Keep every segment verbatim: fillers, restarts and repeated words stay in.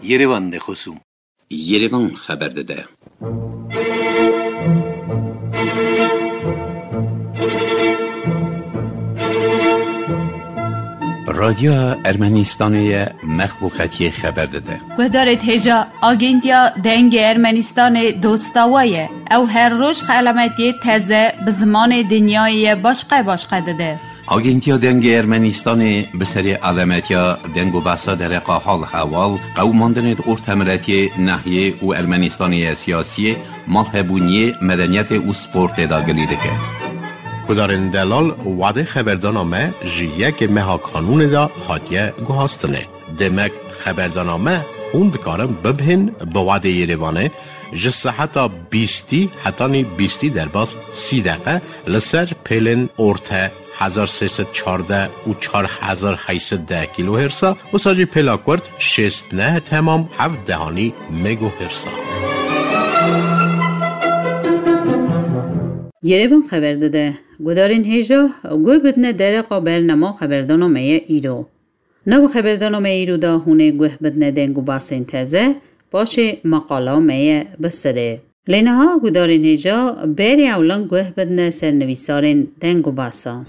Yerevan de xosûm. Yerevan xeber dide. Radyoya Ermenistanê ye, mexluqetiyê xeber dide. Guhdarêt hêja, Agentiya Dengê Ermenistanê dosta we ye. Ew her roj xelametiyê teze bi zimanê dinyayê ye başqe başqe dide. Agentiya Dengê Ermenistanê bi serê alemetiya deng û behsa dereqa hal hewal, qewimandinê di ortemiretiyê, nehiyê û Ermenistanê ye siyasiyê, malhebûniyê, medeniyetê û sportê de gilî dike. Gudarên delal, wadê xeberdana me ji yekê meha kanûnê de hatiye guhastinê. Demek xeberdana me hûn dikarin bibihên bi wadê Yerevanê ji seheta bîstî hetanî bîstî derbas sî deqe li ser pêlên orte hezar sê sed çardeh û çar hezar heyt sed deh kîlohêrsa, wisa jî pêla kurt şêst neh temam heft dehanî megohêrsa. Yerevan xeber dide, gudarên hêja guh bidine dereqa bernama xeberdana me ye îro. Nav xeberdana me îro de hûn ê guh bidine deng û basên teze, paşê maqala me ye bi sirê. Lê niha gudarên hêja berê ewlan guh bidine ser nivîsarên deng û basa.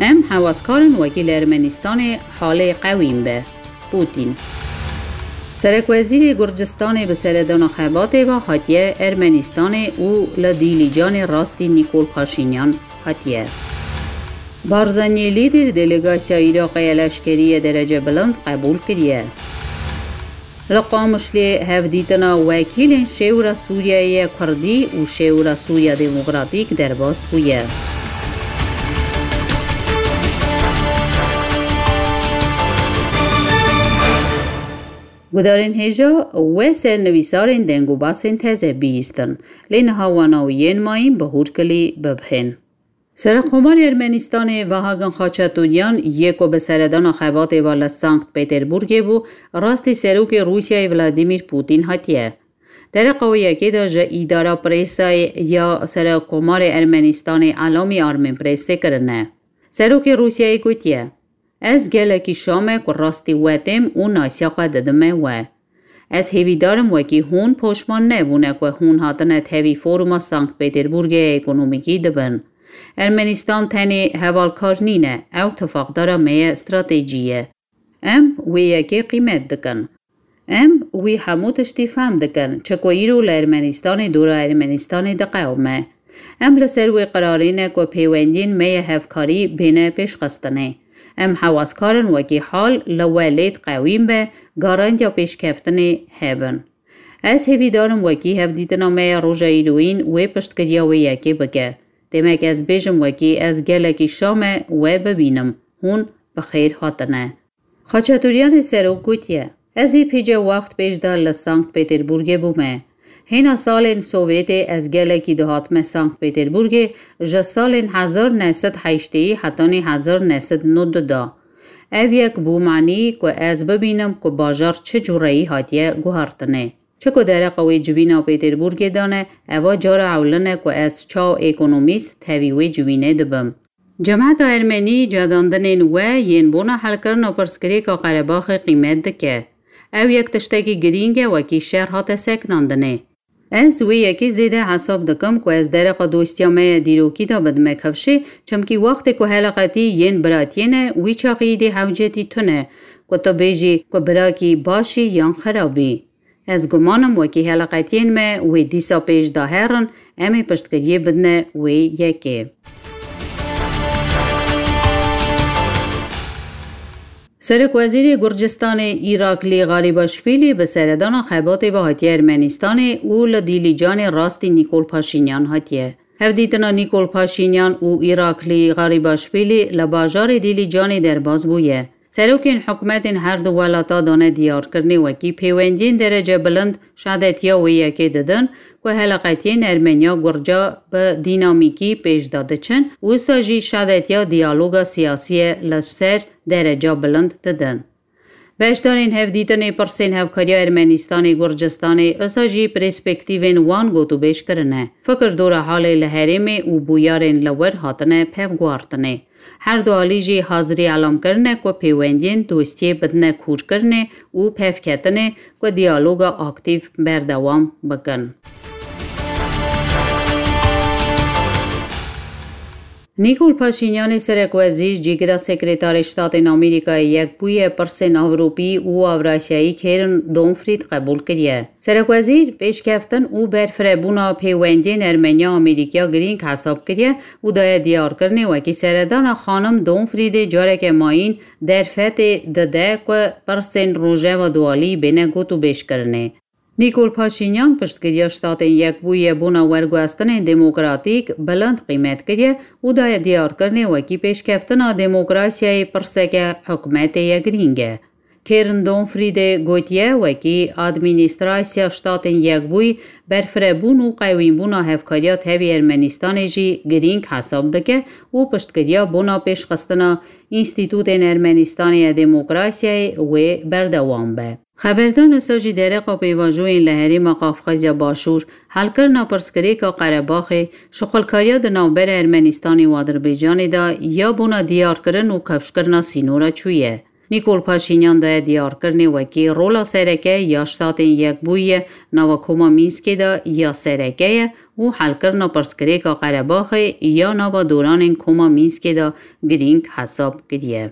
Em hewazkar in wekî li Ermenistanê halê qewîn be. Pûtîn. Serekwezîrê Gurcistanê bi seredana xebatê ve hatiye Ermenistanê û li Dîlîcanê rastî Nîkol Paşînyan hatiye. Barzanî lîder delegasya Iraqê ya leşkerî yê derece bilind qebûl kiriye. Li Qamişlê hevdîtina wekîlên Şêwra Sûriyeyê yê Kurdî û Şêwra Sûriya Demokratîk derbas bûye. Gudarên hêja we ser nivîsarên deng û basên teze bihîstin, lê niha wana û yên mayîn bi hûrkilî bibihên. Serekomarê Ermenistanê Vahagan Xaçatûryan yê ku bi seredana xebatê ve li Sankt Peterburgê bû, rastî serokê Rûsyayê Vladimir Putin hatiye. Dereqa wê yekê de ji îdara presayê ya Serekomarê Ermenistanê Elamî Armenpressê kirine. Serokê Rûsyayê gotiye, Ez gelekî şa me ku rastî we têm û nasiya xwe didime we. Ez hêvîdar im wekî hûn poşman nebûne ku hûn hatine tevî foruma Sankt Peterburgê ya ekonomîkî dibin. Ermenistan tenê hevalkar nîne, ew tifaqdara me ye stratejî ye. Em wê yekê qîmet dikin. Em wî hemû tiştî fehm dikin, çi ku îro li Ermenistanê dora Ermenistanê diqewime. Em li ser wê qirarê ne ku pêwendiyên me yê hevkarî bêne pêşxistinê. Em hewazkar in wekî hal li we lê diqewîm be, garantiya pêşkeftinê hebin. Ez hêvîdar im wekî hevdîtina me ya roja îroyîn wê piştgiriya wê yekê bike. Demek ez bêjim wekî ez gelekî şa me we bibînim, hûn bi xêr hatine. Xaçatûryanê serok gotiye, Ez ê pêce wext pêş de li Sankt Peterburgê bûme. Hêna salên Sovyetê ez gelekî dihatime Sankt Peterburgê, ji salên hezar neh sed heştê hetanî hezar neh sed nod du de. Ev yek bû manî ku ez bibînim ku bajar çi cûreyî hatiye guhertinê. Çi ku dereqa wê civîna Peterburgê de ne, eva cara ewlin e ku ez çaw ekonomîst tevî wê civînê dibim. Cemeta Ermenî cadandinên we yên bona helkirina pirsgirêka Qerebaxê qîmet dike. Ew yek tiştekî girîng e wekî şer hate sekinandinê. Ez wê yekê zêde hesab dikim ku ez dereqa dostiya me ya dîrokî de bidime kifşê, çimkî wextê ku heleqetî yên biratiyê ne, wî çaxî îdî hewcetî tune ku tu bêjî ku birakî baş î yan xirab î. Ez guman im wekî heleqetiyên me wê dîsa pêş de herin, em ê piştgiriyê bidine wê yekê. Serokwezîrê Gurcistanê Îraklî Garîbaşvîlî bi seredana xebatê ve hatiye Ermenistanê û li Dîlîcanê rastî Nîkol Paşînyan hatiye. Hevdîtina Nîkol Paşînyan û Îraklî Garîbaşvîlî li bajarê Dîlîcanê derbas bûye. Serokên hikûmetên her du welata dane diyarkirinê wekî pêwendiyên derece bilind şadetiya wê yekê didin ku heleqetiyên Ermeniya Gurca bi dînamîkî pêş de diçin û wisa jî şadetiya diyaloga siyasiyê li ser dereca bilind didin. Beşdarên hevdîtinê pirsên hevkariya Ermenistanê Gurcistanê, wisa jî perspektîvên wan gotûbêj kirine. Fikir dora halê li herêmê û bûyerên li wir hatine pevguhartinê. Her du alî jî hazirî elam kirine ku pêwendiyên dostiyê bidine kûrkirinê û pevketinê ku diyaloga aktîf berdewam bikin. Nîkol Paşînyanê serekwezîr cîgira Sekretarê Ştatên Amerîkayê Yekbûyî yê pirsên Ewropî û Ewrasyayî Kêrin Donfrîd qebûl kiriye. Serekwezîr pêşkeftin û berfirebûna pêwendiyên Ermeniya Amerîkiya girîng hesab kiriye û daye diyarkirinê wekî seredana xanim Donfrîdê careke mayîn derfetê dide ku pirsên Rojeva Dualî bêne gotûbêjkirinê. Nîkol Paşînyan piştgiriya Ştatên Yekbûyî yê bona werguhestinên demokratîk bilind qîmet kiriye û daye diyarkirinê wekî pêşkeftina demokrasiyayê pirseke hikûmetê ye girîng e. Kêrin Donfrîdê gotiye, wekî administrasya Ştatên Yekbûyî berfirebûn û qewînbûna hevkariya tevî Ermenistanê jî girîng hesab dike û piştgiriya bona pêşxistina înstîtûtên Ermenistanê ya demokrasiyayê wê berdewam be. Xeberdana sacî dereqa pêvajoyên li herêma Qafqazya Başûr, helkirina pirsgirêka Qerebaxê, şixulkariya di navbera Ermenistanê û Adirbaycanê de ya bona diyarkirin û kifşkirina sînora çûye. Nîkol Paşînyan daye diyarkirinê wekî rola sereke ya Ştatên Yekbûyî ye nava Koma Mînskê de ya sereke ye û helkirina pirsgirêka Qerebaxê ya nava doranên Koma Mînskê de girîng hesab kiriye.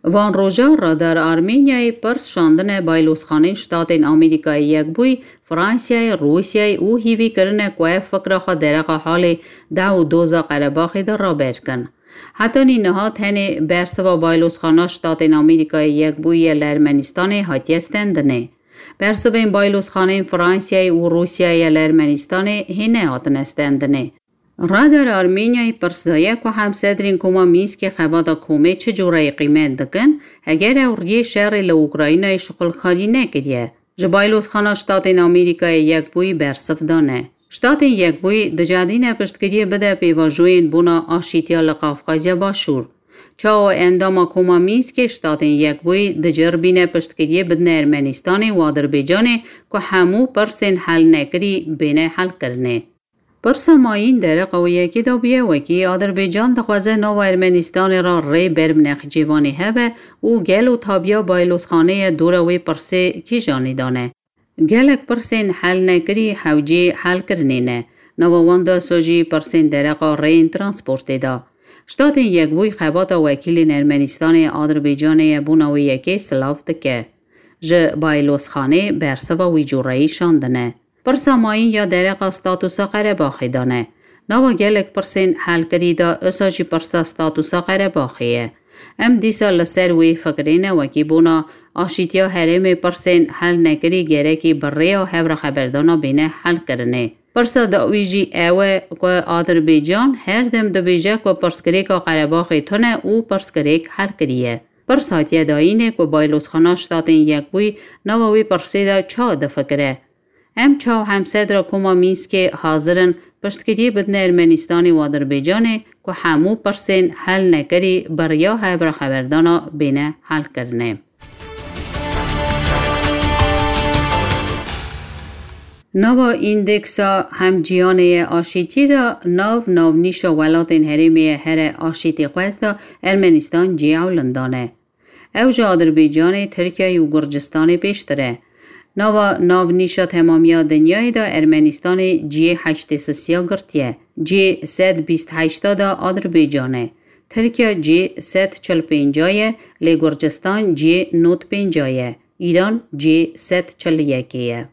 Van roja Radar Armenyayê pirs şandine baylozxanên Ştatên Amerîkayê Yekbûyî, Fransayê, Rûsyayê û hîvî kirine ku ev fikra xwe dereqa halê dew û doza Qerebaxê de raber kin. Hetanî niha tenê bersiva baylozxana Ştatên Amerîkayê Yekbûyî yê li Ermenistanê hatiye stendinê. Bersivên baylozxanên Fransayê û Rûsyayê yê li Ermenistanê hê nehatine stendinê. Radar Armenyayê pirs daye ku hemsedrên Koma Mînskê xebata komê çi cureyî qîmet dikin, heger ew riyê şerê li Ukraynayê şixulkarî nekiriye. Ji baylozxana Ştatên Amerîkayê Yekbûyî bersiv dane. Ştatên Yekbûyî dicedîne piştgiriyê bide pêvajoyên bona aşîtiya li Qafqazya Başûr. Çawa endama Koma Mînskê Ştatên Yekbûyî dicêrbîne piştgiriyê bidine Ermenistanê û Adirbaycanê ku hemû pirsên helnekirî bêne helkirinê. Pirsa mayîn dereqa wê yekê de bûye, wekî Adirbaycan dixwaze nava Ermenistanê re rê ber bi nexcêvanê hebe û gelo tabiya baylozxaneyê dora wê pirsê kîjanê dane. Gelek pirsên helnekirî hewcê helkirinê ne. Nava wan de wisa jî pirsên dereqa rêyên transportê de. Ştatên Yekbûyî xebata wekîlên Ermenistanê, Adirbaycanê yê bona wê yekê silav dike. Ji baylozxanê bersiva wî cureyî şandine. Pirsa mayîn ya dereqa statusa Qerebaxê de ne. Nava gelek pirsên helkirî de wisa jî pirsa statusa Qerebaxê ye. Em dîsa li ser wê fikirê ne, wekî bona aşîtiya herêmê pirsên helnekirî gerekî bi rêya hevraxeberdana bêne helkirinê. Pirsa dawî jî ew e ku Adirbaycan her dem dibêje ku pirsgirêka Qerebaxê tune û pirsgirêk helkirî ye. Pirs hatiye dayînê ku baylozxana Ştatên Yekbûyî nava wê pirsê de çawa difikire. Em çawa hemsedra Koma Mînskê hazir in piştgiriyê bidine Ermenistanê û Adirbaycanê ku hemû pirsên helnekirî bi riya hevraxeberdana bêne helkirinê. Nava îndeksa hemciyanê yê aşîtiyê de nav navnîşa welatên herêmê yê here aşîtî xwez de Ermenistan cihê ewlin dane. Ew ji Adirbaycanê, Tirkiyeyê û Gurcistanê pêştir e. Nava navnîşa temamiya dinyayê de Ermenistanê cihê heştê sisiya girtiye. Cihê sed bîst heşta de Adirbaycan e. Tirkiye cihê sed çil pênca ye, lê Gurcistan cihê nod pênca ye. Îran cihê sed çil yekê ye.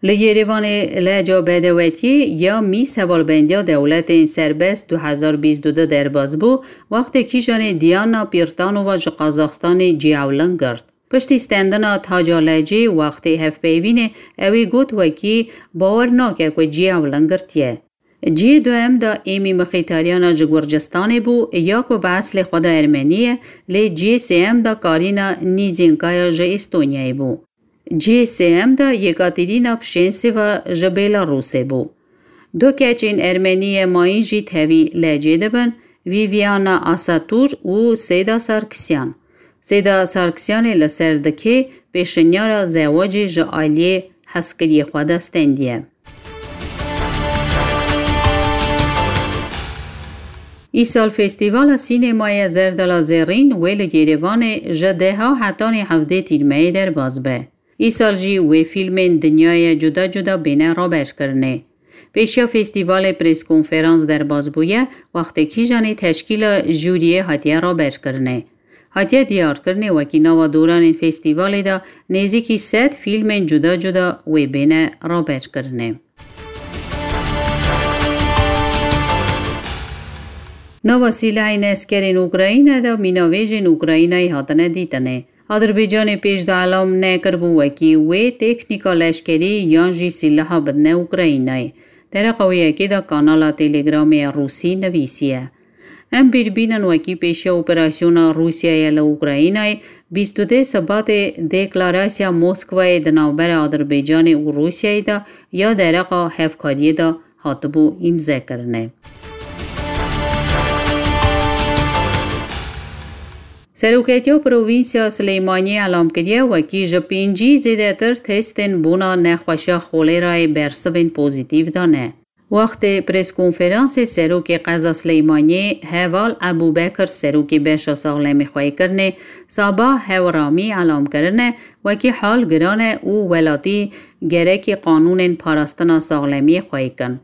Li Yerêvanê leca bedewetiyê ya mîz hevalbendiya dewletên serbest du hezar bîst û du derbas bû, wextê kîjanê Diana Pirtanova ji Qazaxstanê cihê ewlin girt. Piştî stendina taca lecê wextê hevpeyvînê, ew ê got wekî bawer nake ku cihê ew ling girtiye. Cihê duhem de êmî mixîtariyana ji Gurcistanê bû ya ku bi eslê xwe de Ermenî ye, lê cihê sêyem de Karîna Nîzînkaya ji Estonyayê bû. Cihê sêyem de Yekaterîna Pişênseva ji Belarusê bû. Du keçên Ermenî ye mayîn jî tevî lecê dibin, Viviana Asatur û Seyda Sarkisyan. Seyda Sarkisyanê li ser dikê pêşinyara zewacê ji aliyê hezkiriyê xwe de stendiye. Îsal Festîvala Sînemaya Zerdala Zerrîn wê li Yerêvanê ji deha hetanî hevdê Tîrmeyê derbas be. Îsal jî wê fîlmên dinyayê cuda cuda bêne raberkirinê. Pêşiya festîvalê preskonferans derbas bûye, wextê kîjanê teşkîla jûriyê hatiye raberkirinê. Hatiye diyarkirinê wekî nava doranên festîvalê de nêzîkî sed fîlmên cuda cuda wê bêne raberkirinê. Nava sîlehên eskerên Ukrayna de mînavêjên Ukraynayê hatine dîtinê. Adirbaycanê pêş de elam nekiribû wekî wê teknîka leşkerî yan jî sîleha bidine Ukraynayê. Dereqa wê yekê de kanala Telegramê ya Rûsî nivîsiye. Em bîr bînin wekî pêşiya operasyona Rûsyayê li Ukraynayê, bîst û dê Sibatê deklarasya Moskwayê di navbera Adirbaycanê û Rûsyayê de ya dereqa hevkariyê de hatibû îmzekirinê. Seroketiya Provînsya Silêmaniyê elam kiriye, wekî ji pêncî zêdetir testên bona nexweşiya xolêrayê bersivên pozîtîf dane. Wextê preskonferansê serokê qeza Silêmaniyê Heval Ebûbekir, serokê beşa saxlemî xweykirinê, Sabah Hewramî elam kirine, wekî hal giran e û welatî gerekî qanûnên parastina saxlemiyê xweykin.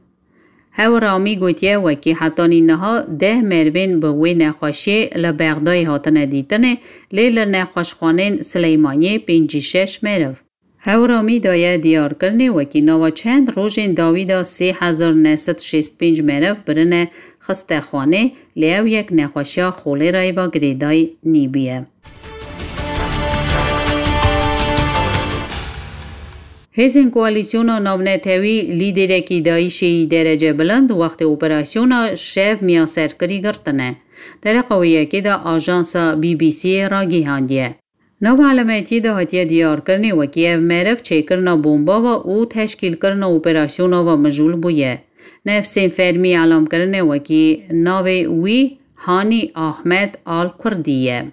Hewramî gotiye, wekî hetanî niha deh merivên bi wê nexweşiyê li Bexdayê hatine dîtinê, lê li nexweşxanên Sileymaniyê pêncî şeş meriv. Hewramî daye diyarkirinê, wekî nava çend rojên dawî de sê hezar neh sed şêst pênc meriv birine xistexanê, lê ew yek nexweşiya xolêrayê ve girêdayî nîbûye. Hêzên Koalîsyona Navnetewî lîderekî DAIŞê yî derece bilind wextê operasyona şev miyaserkirî girtine. Dereqa wê yekê de ajansa B B C'ê ragihandiye. Nava elemetiyê de hatiye diyarkirinê, wekî ev meriv çêkirina bombava û teşkîlkirina operasyonava mijûl bûye. Nefsên fermî elamkirinê, wekî navê wî Hanî Ahmed Al Kurdî ye.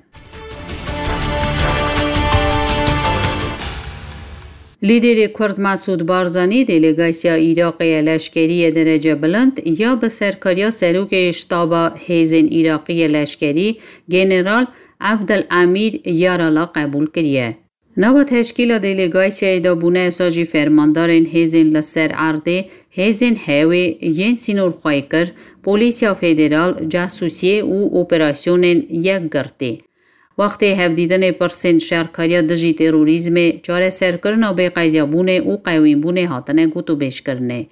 Lîderê Kurd Mesûd Barzanî delegasiya Iraqê ye leşkerî ye derece bilind ya bi serkariya serokê ştaba hêzên Iraqî ye leşkerî, General Abdel Amîr Yarala qebûl kiriye. Nava teşkîla delegasiyayê de bûne wisa jî fermandarên hêzên li ser erdê, hêzên hewê, yên sînorxweyikir, polîsiya federal, casûsiyê û operasyonên yekgirtî. Wextê hevdîtinê pirsên şerkariya dijî terorîzmê, çareserkirina bêqezabûnê û qewînbûnê hatine gotûbêjkirinê.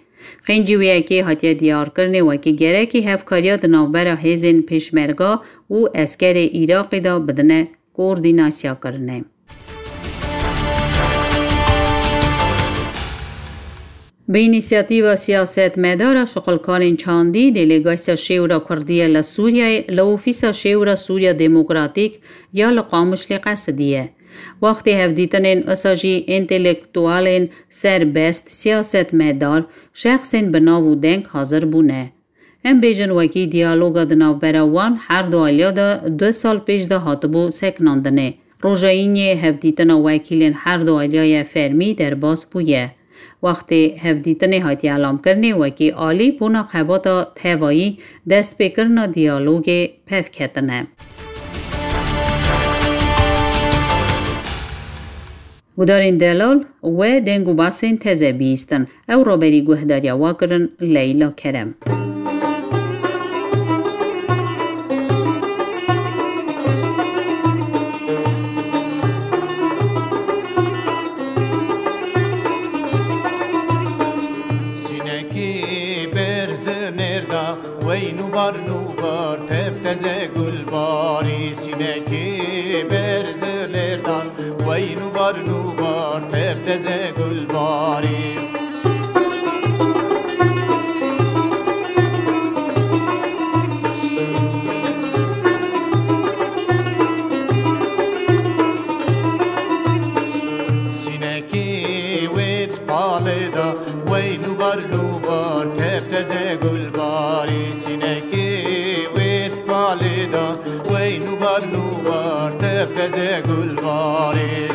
Xêncî wê yekê hatiye diyarkirinê wekî gerekî hevkariya di navbera hêzên pêşmerga û eskerê Iraqê de bidine koordînasyakirinê. Bi înîsiyatîva siyasetmedara şixulkarên çandî, delegasiya Şêwra Kurdî ye li Sûriyeyê li ofîsa Şêwra Sûriya Demokratîk ya li Qamişlê qesidiye. Wextê hevdîtinên wisa jî întelektualên serbest, siyasetmedar, şexsên bi nav û deng hazir bûne. Em bêjin wekî diyaloga di navbera wan her du aliya de du sal pêş de hatibû sekinandinê. Roja îniyê hevdîtina wekîlên her du aliya ye fermî derbas bûye. Wextê hevdîtinê hatiye elamkirinê wekî alî bona xebata tevayî destpêkirina diyalogê pevketine. Gudarên delal we deng û basên teze bihîstin. Ew raberî guhdariya we kirin Leyla Kerem. Sînekî berz nêrda, wey nûbar nûbar, tep teze gulbarî. Sînekî berz nêrda, wey Teze gulbarî.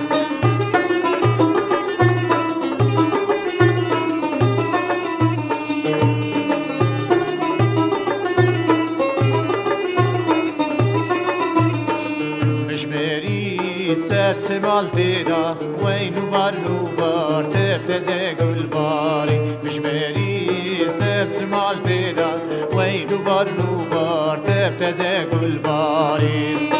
Mijberî sed simal tê de, weyn û barn û bar tep teze gulbarî. Mijberî sed simal tê de, weyn û barn û bar tep teze gulbarî.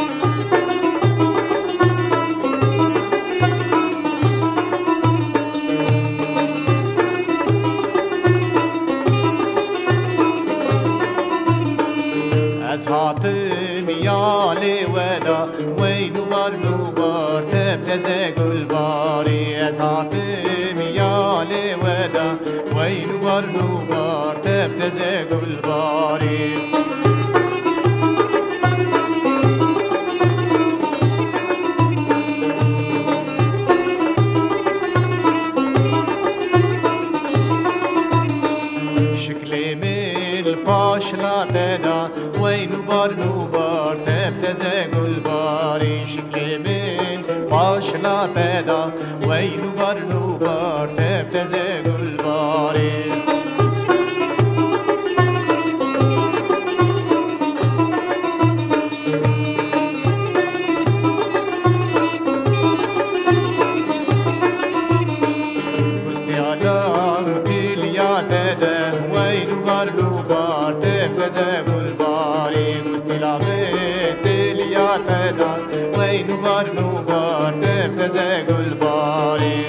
Ez hatim ya lê we de, weyn û barn û bar tep teze gulbarî. Ez hatim ya lê we de, weyn û barn û bar tep teze gulbarî. Şiklê min paşla te da, weyn û barn û bar tep teze gulbarî. Şiklê min paşla te da, weyn û barn û bar tep teze gulbarî. Gustiyalan piliya te de, weyn û barn û bar tep teze gulbarî. Gustiyalan piliya te de, weyn û barn û bar tep teze gulbarî.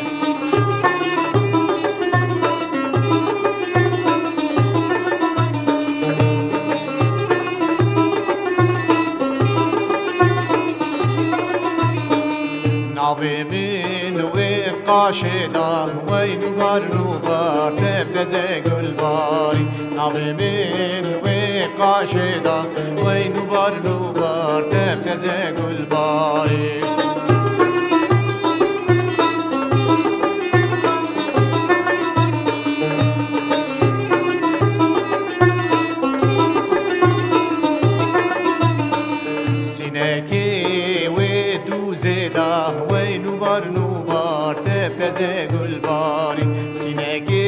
Navê min wê qaşê da, weyn û barn û bar tep teze gulbarî. Navê min wê qaşê da, weyn û barn û bar tep teze gulbarî. Sinekê wê dûzê da, weyn û barn û bar tep teze gulbarî. Sinekê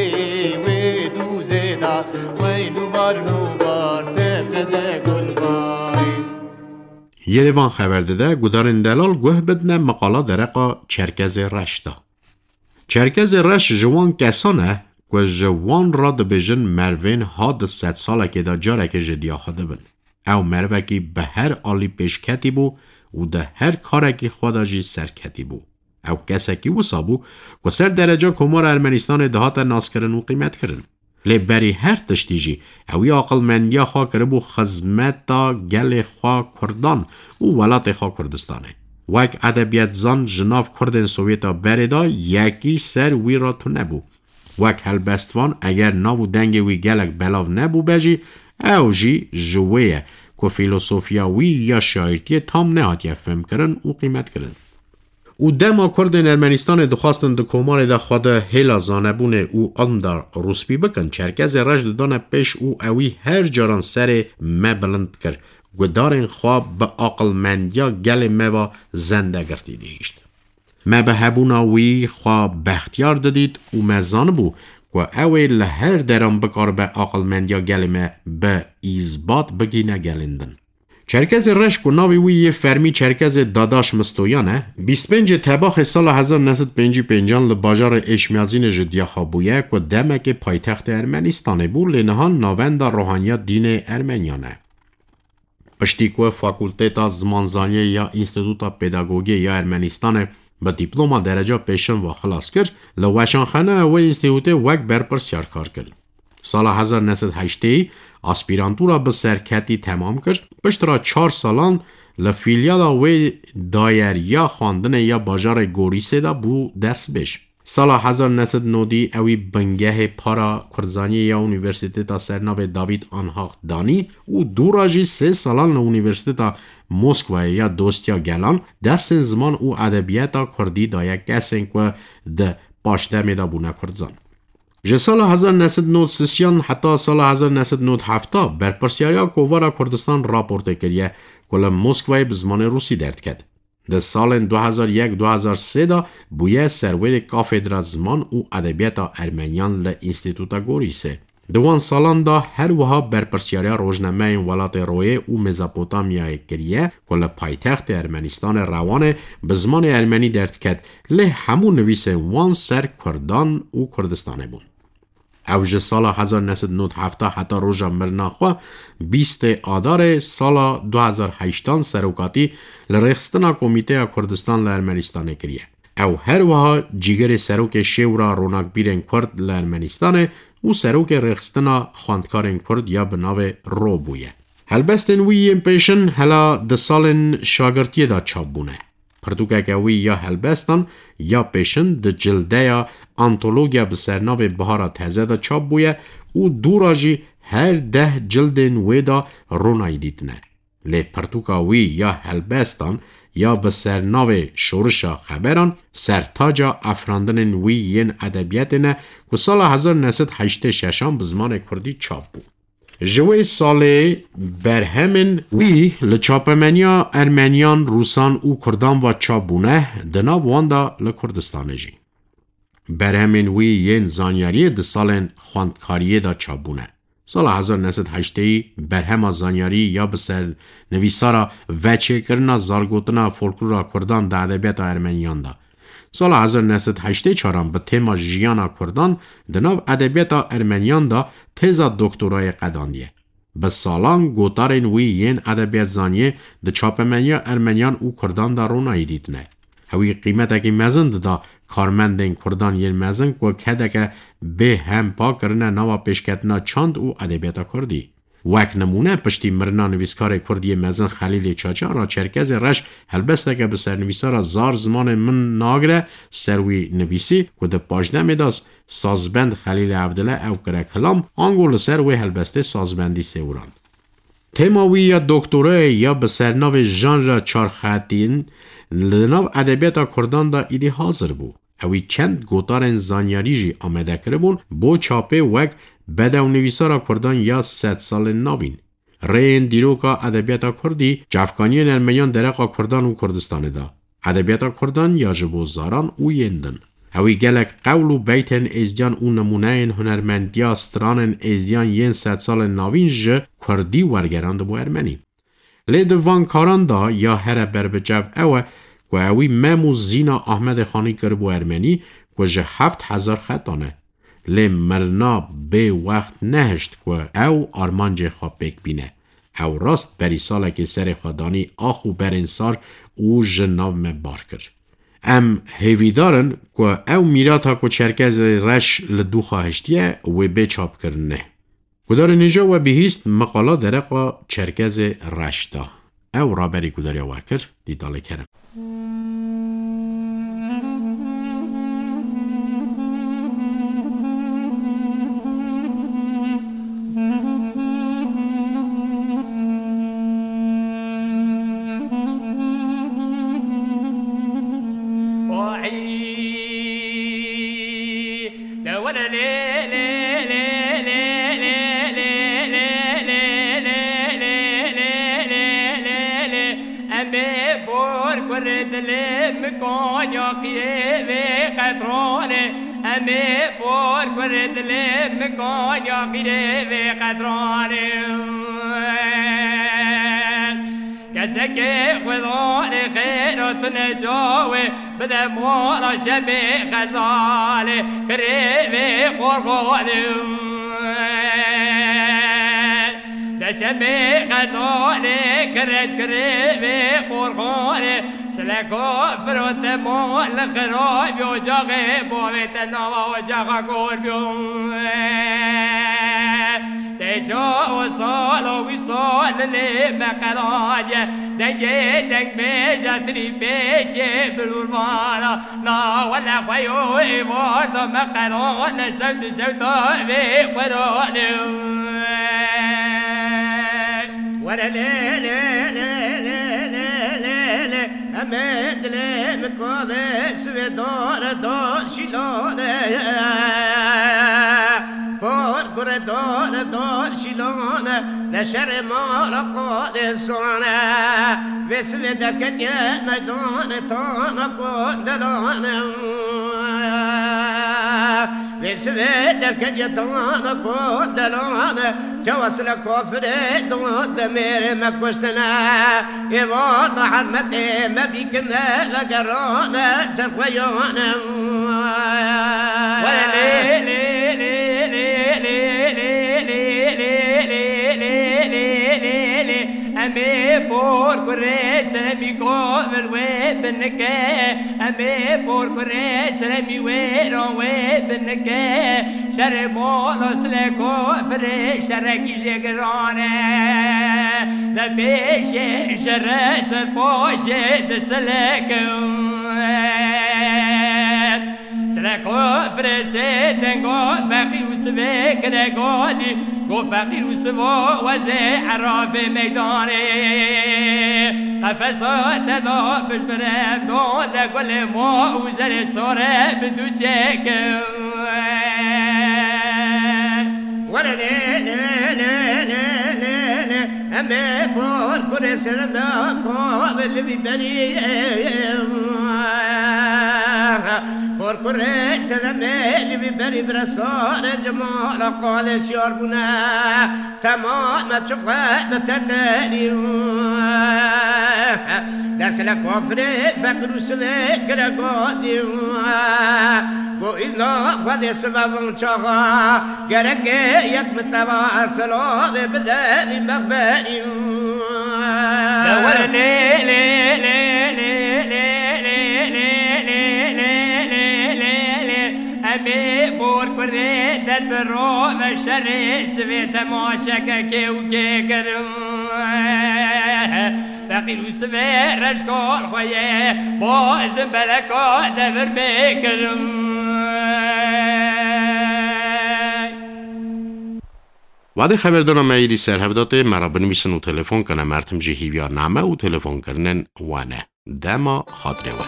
wê dûzê da, weyn û barn û bar tep teze gulbarî. Yerevan xeber dide, gudarên delal guh bidine meqala dereqa Çerkezê Reş de. Çerkezê Reş ji wan kesan e ku ji wan re dibêjin mervên ha di sedsalekê de carekê ji diya xwe dibin. Ew merivekî bi her alî pêşketî bû û di her karekî xwe de jî serketî bû. Ew kesekî wisa bû ku ser dereca Komara Ermenistanê dihate naskirin û qîmetkirin. Lê berî her tiştî jî ew ê aqilmendiya xwe kiribû xizmeta gelê xwe Kurdan û welatê xwe Kurdistanê. Wek edebiyatzan ji nav Kurdên Sovyeta berê de yekî ser wî re tune bû. Wek helbestvan, eger nav û dengê wî gelek belav nebûbe jî, ew jî ji wê ye ku fîlosofiya wî ya şaîrtiyê tam nehatiye fêmkirin û qîmetkirin. Û dema Kurdên Ermenistanê dixwastin di komarê de xwe di hêla zanebûnê û ilm de rûspî bikin, Çerkezê Reş didane pêş û ewî her caran serê me bilind dikir. Gudarên xwe bi aqilmendiya gelê me ve zendegirtî dihîşt. Me bi hebûna wî xwe bextiyar didît û me zanibû ku ew ê li her deran bikaribe aqilmendiya gelê me bi îzbat bigîne gelên din. Çerkezê Reş ku navê wî yê fermî Çerkezê Dadaş Mistoyan e, bîst pêncê Tebaxê sala hezar neh sed pêncî pêncan li bajarê Êşmiyazînê ji diya xwe bûye ku demekê paytextê Ermenistanê bû, lê niha navenda ruhaniya dînê Ermeniyan e. Piştî ku Fakulteta Zimanzaniyê ya Înstîtuta Pedagogiyê ya Ermenistanê bi dîploma dereca pêşin ve xilas kir, li weşanxaneya wê înstîtutê wek berpirsiyar kar kir. Sala hezar neh sed heştê aspîrantura bi serketî temam kir, piştre çar salan li fîlyala wê dayeriya xwendinê ya bajarê Gorîsê de bû dersbêj. Sala hezar neh sed nodî ewî bingehê para Kurdzaniyê ya Unîversîteta Sernavê Davîd Anhak danî û dûra jî sê salan li Unîversîteta Moskwayê ya Dostiya Gelan dersên ziman û edebiyata kurdî daye kesên ku di paşdemê de bûne kurdzan. Ji sala hezar neh sed nod sisiyan heta sala hezar neh sed nod hefta berpirsiyariya Kovara Kurdistan raportê kiriye ku li Moskwayê bi zimanê rûsî derdiket. Di salên du hezar yek du hezar sê de bûye serwêrê kafedra ziman û edebiyata ermeniyan li Înstîtuta Gorîsê. Di wan salan de her wiha berpirsiyariya rojnameyên welatê Royê û Mezopotamyayê kiriye ku li paytextê Ermenistanê Rewanê bi zimanê ermenî derdiket, lê hemû nivîsên wan ser Kurdan û Kurdistanê bûn. Ew ji sala hezar neh sed nod heft heta roja mirina xwe, bîstê Adarê sala du hezar heştan serokatî li rêxistina Komîteya Kurdistan li Ermenistanê kiriye. Ew her wiha cîgirê serokê Şêwra Ronakbîrên Kurd li Ermenistanê û serokê rêxistina xwendkarên Kurd ya bi navê Ro bûye. Helbestên wî yên pêşin hela di salên şagirtiyê de çap bûne. Pirtûkeke wî ya helbestan ya pêşin di cildeya antologiya bi sernavê Bihara Teze de çap bûye û dûra jî her deh cildên wê de ronayî dîtine. Lê pirtûka wî ya helbestan ya bi sernavê Şorişa Xeberan sertaca afirandinên wî yên edebiyatê ne ku sala hezar neh sed heştê şeşan bi zimanê kurdî çap bû. Ji wê salê berhemên wî li çapemeniya Ermeniyan, Rûsan û Kurdan ve çap bûne, di nav wan de li Kurdistanê jî. Berhemên wî yên zanyariyê di salên xwendkariyê de çap bûne. Sala hezar neh sed heştê berhema zanyarî ya bi ser nivîsara veçêkirina zargotina folklora Kurdan di edebiyata Ermeniyan de. Sala hezar neh sed heştê çaran bi tema jiyana Kurdan di nav edebiyata Ermeniyan de têza doktorayê qedandiye. Bi salan gotarên wî yên edebiyatzaniyê di çapemeniya Ermeniyan û Kurdan de ronayî dîtine. Ewî qîmetekî mezin dida karmendên Kurdan yên mezin ku kedeke bê hempa kirine nava pêşketina çand û edebiyata Kurdî. Wek nimûne, piştî mirina nivîskarê Kurd yê mezin Xelîlê Çaça re Çerkezê Reş helbesteke bi sernivîsara Zar zimanê min nagire ser wî nivîsî ku di paşdemê de sazbend Xelîlê Evdile ew kire kilam, ango li ser wê helbestê sazbendî sêwirand. Tema wî ya doktorayê ya bi sernavê Janra Çarxetîn li nav edebiyata Kurdan de îdî hazir bû. Ewî çend gotarên zanyarî jî amade kiribûn bo çapê wek bedewnivîsara Kurdan ya sedsalên navîn, rêyên dîroka edebiyata Kurdî, çavkaniyên Ermeniyan dereqa Kurdan û Kurdistanê de, edebiyata Kurdan ya ji bo zaran û yên din. Ewî gelek qewl û beytên êzdiyan û nimûneyên hunermendiya stranên êzdiyan yên sedsalên navîn ji Kurdî wergerandibû Ermenî. Lê di van karan de ya here berbiçav ew e ku ewî mem û zîna Ahmedê Xanî kiribû Ermenî ku ji heft hezar xetan e. Lê mirina bê wext nehişt ku ew armancê xwe pêk bîne. Ew rast berî salekê serê xwe danî ax û berên sar û ji nav me bar kir. Em hêvîdar in ku ew mîrata ku Çerkezê Reş li dû xwe hiştiye wê bê çapkirinê. Gudarên hêja we bihîst meqala dereqa Çerkezê Reş da. Ew raberî gudariya we kir, Dîtalê Kerem. Em ê bor kurê dilê min kanya qîrê vê qetranê. Em ê bor kurê dilê min kanya qîrê vê qetranê. Kesekê xwedanê xêra tune cawê bide mala şemê xezalê kirê vê qorxanê. Deşemê xezalê kireç kirê vê qorxanê. Sileko firote mo li xirabî ocaxê bavê te nava ocaxa kor bîyo. Têca û sala wî sal lê me qeladiye. Dengê deng bêje trî pêçê bilûrmana. Na wele xwe yo êvar da me qelane zewt û zewta vê xwerane. Were lê lê lê lê lê lê lê lê. Em ê dilê min kave sivê dare da şîlane. Por Dor, dor şîlane, leşerê mala qadê sane. Vê sivê derketiye meydane, tana kondelane. Vê sivê derketiye tana kondelane. Çawa sile kafirê don demêrê me kuştine. Êva da hermetê me bîkirine vegerane ser xwe yane. Were lê, lê, lê, lê, lê, lê, lê, lê, lê, lê, lê, lê, lê, lê, lê. Em ê por kurê seremî kovil wê binike. Em ê por kurê seremî wê ran wê binike. Şerê mala sile kofirê şerekî jê giran e. De pêşê şere ser paşê disilekim. Sile kofirê sê tengo feqîr û sivê kire galî. Go feqîr û sivo wezê erafê meydanê. Qefesa te da bijbirem don de gulê mo û zerê sore bi du çêkim. Were lê, lê, lê, lê, lê, lê, lê. Em ê bor kurê serem da kov li vî berî. Bor kurê serem ê li vî berî bira sare cemala qalê şiyar bûne. Temam me çiqe bi teterî. Dest le kafirê feqir û sivê gire gazî. Go îzna xwedê sive van çaxa. Gerek e yek min teva silavê bide vî mexberî. De were lê, lê, lê, lê, lê, lê, lê, lê, lê, lê, lê, lê, lê, lê, lê, lê, lê. Em ê bor kurê te di rove şerê sivê temaşeke kê û kê kirin. Feqîr û sivê reşkol xwe ye, bo ezin beleka devir bê kirin. Wadê xeberdana me êdî ser hev datê, me re binivîsin û telefon kene, mertim jî hîviya name û telefonkirinên we ne. Dema xatirê we.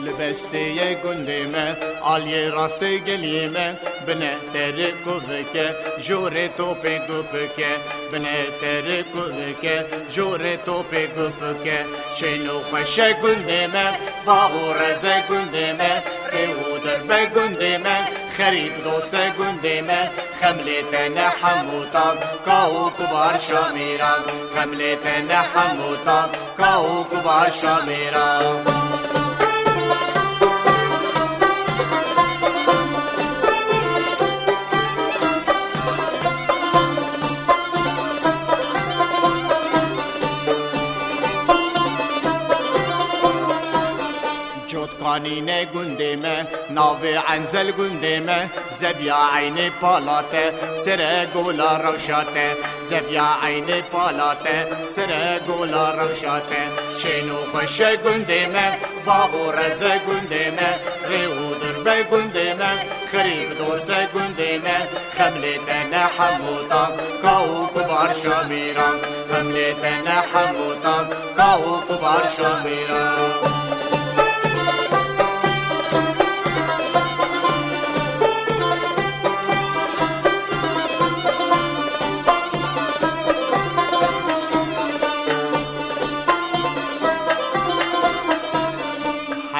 Li bestê ye gundê me, aliyê rastê geliyê me, bine terê kuvike, jorê topê gupike, bine terê kuvike, jorê topê gupike. Şên û xweşe gundê me, bax û reze gundê me, rê û dirbe gundê me, xerîb doste gundê me, xemlê te ne hemû tan, ka û kubar şamîran, xemlê te ne hemû tan, ka û kubar şamîran. Cotkanî ne gundê me, navê Enzel gundê me, zeviya eynê pala te, sere gola rewşa te, zeviya eynê pala te, sere gola rewşa te. Şên û xweşe gundê me, bax û reze gundê me, rê û dirbe gundê me, xerîb doste gundê me, xemlê te ne hemû tan, ka û kubar şamîran, xemlê te ne hemû tan, ka û kubar şamîran.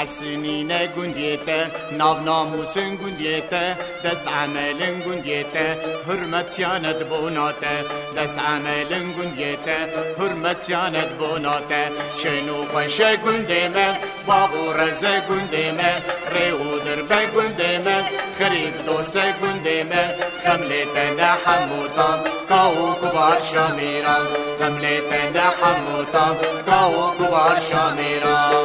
Hesînî ne gundiyê te, nav namûsin gundiyê te, dest emelin gundiyê te, hurmet siyanet bona te, dest emelin gundiyê te, hurmet siyanet bona te. Şên û xweşe gundê me, bax û reze gundê me, rê û dirbe gundê me, xerîb doste gundê me, xemlê te ne hemû tan, ka û kubar şamîran, xemlê te ne hemû tan, ka û kubar şamîran.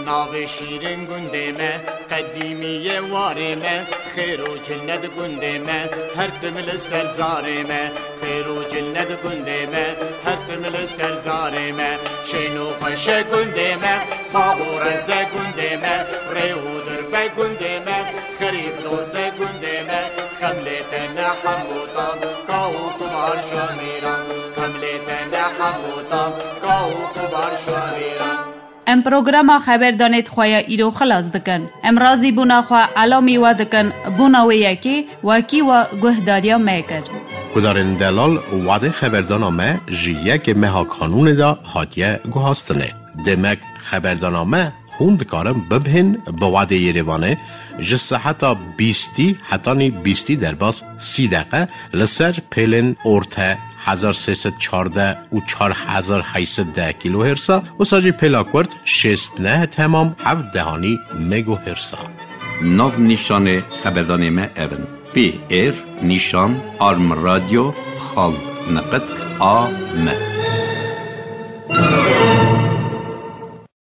Navê şîrin gundê me, qedîmî yê warê me, xêr û cinnet gundê me, her tim li ser zarê me. Xêr û cinnet gundê me, her tim li ser zarê me. Şên û xweşe gundê me, bav û reze gundê me, rê û dirbe gundê me, xerîb doste gundê me. Xem lê te ne hemû tam, ka û kubar şamîran. Xem lê te ne hemû tam, ka û kubar şamîran. Em programa xeberdanê xwe ya îro xilas dikin. Em razîbûna xwe elamî we dikin, bona wê yekê wekî we guhdariya me kir. Guhdarên delal, wadê xeberdana me ji yekê meha Kanûnê de hatiye guhastinê. Demek xeberdana me hûn dikarin bibihên bi wadê Yerêvanê ji seheta bîstî hetanî bîstî derbas sî deqe li ser pêlên orte hezar sê sed çardeh û çar hezar heyt sed deh kîlohêrsa, wisa jî pêla kurt şêst neh temam heft dehanî megohêrsa. Nav nîşanê xeberdanê me ev in: P R nîşan arm radio xal niqit A M.